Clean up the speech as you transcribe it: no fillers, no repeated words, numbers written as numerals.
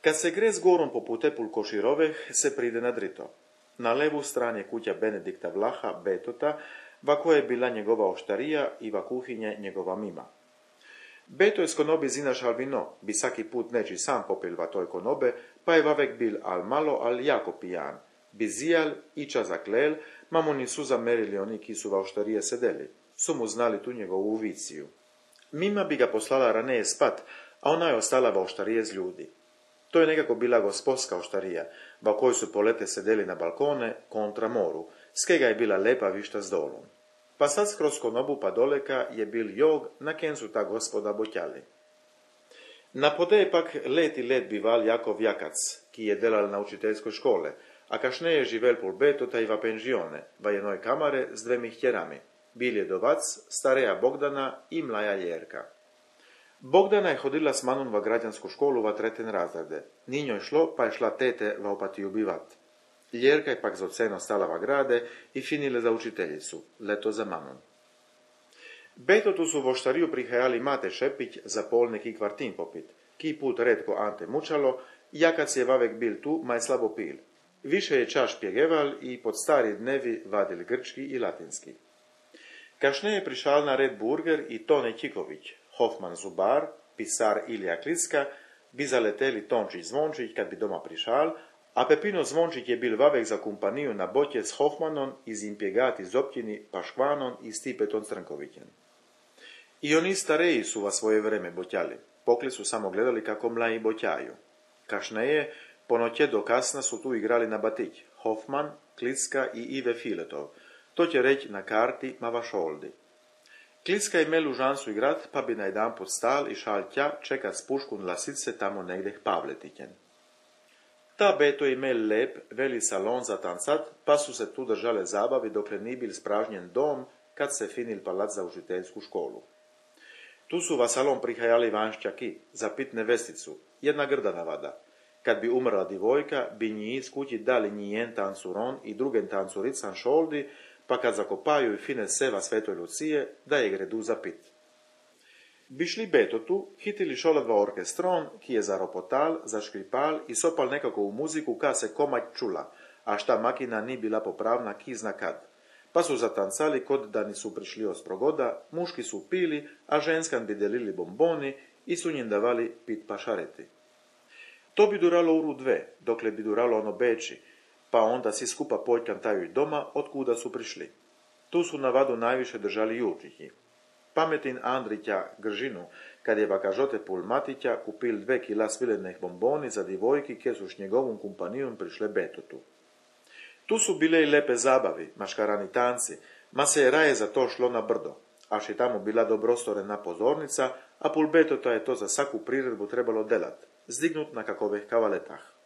Kad se gre z gorom po putepul Koširoveh, se pride na drito. Na levu strani je kuća Benedikta Vlaha, Betota, va koja je bila njegova oštarija i va kuhinje njegova mima. Beto je s konobi zinašal vino, bi saki put neči sam popil va toj konobe, pa je vavek bil al malo, al jako pijan. Bi zijal, iča zaklel, ma mu nisu zamerili oni ki su va oštarije sedeli. Su mu znali tu njegovu viciju. Mima bi ga poslala raneje spat, a ona je ostala va oštarije z ljudi. To je nekako bila gospodska oštarija, va kojoj su polete sedeli na balkone kontra moru, skega je bila lepa višta s dolom. Pa sad skroz konobu pa doleka je bil jog, na ken su ta gospoda botjali. Na podeje pak let bival Jakov Jakac, ki je delal na učiteljskoj škole, a kašne je živel pol Betota i va penžione, va jednoj kamare s dvemi htjerami. Bil je dovac, stareja Bogdana i mlaja Ljerka. Bogdana je hodila s manom va građansku školu va treten razrede. Ni njoj šlo, pa je šla tete va opatiju bivat. Ljerka je pak za oceno stala va grade i finile za učiteljicu, leto za manom. Betotu su vo štariju prihajali Mate Šepić za pol neki kvartin popit, ki put redko Ante Mučalo, Jakac je vavek bil tu, ma je slabo pil. Više je čaš pjegeval i pod stari dnevi vadil grčki i latinski. Kašne je prišal na red Burger i Tone Čiković, Hofman Zubar, pisar Ilija Kliska, bi zaleteli Tončić Zvončić kad bi doma prišal, a Pepino Zvončić je bil vavek za kompaniju na botje s Hofmanom iz Impjegati Zopćini, Paškvanom i Stipetom Crnkovićem. I oni stareji su va svoje vreme botjali, pokli su samo gledali kako mlaji botjaju. Kašneje, po noće do kasna su tu igrali na batić, Hofman, Kliska i Ive Filetov, to će reći na karti Mavašoldi. Kliska je imel u šansu igrat, pa bi na jedan put stal i šal tja čekat s puškun lasice tamo negdje Pavletićen. Ta Beto je imel lep, veli salon za tancat, pa su se tu držale zabavi dokle ni bil spražnjen dom, kad se finil palac za učiteljsku školu. Tu su va salon prihajali vanšćaki, za pit nevesticu, jedna grda navada. Kad bi umrla divojka, bi nji iz kući dali njijen tancuron i drugen tancurican šoldi, pa kad zakopaju i fine seva Svetoj Lucije, da je gredu za pit. Bi šli Betotu, hitili šoladva orkestron, ki je zaropotal, zaškripal i sopal nekako u muziku ka se komać čula, a šta makina ni bila popravna ki zna kad. Pa su zatancali kod da nisu prišli osprogoda, muški su pili, a ženskan bi delili bomboni i su njim davali pit pašareti. To bi duralo uru dve, dokle bi duralo ono beči, pa onda si skupa poljkan taju i doma, otkuda su prišli. Tu su na vadu najviše držali Jurčići. Pametin Andrića Gržinu, kad je vakažote pul Matića, kupil 2 kila svilenih bomboni za divojki, kje su s njegovom kompanijom prišle Betotu. Tu su bile i lepe zabavi, maškarani tanci, ma se je raje za to šlo na brdo, až je tamo bila dobrostorena pozornica, a pul Betota je to za svaku priredbu trebalo delat, zdignut na kakovih kavaletah.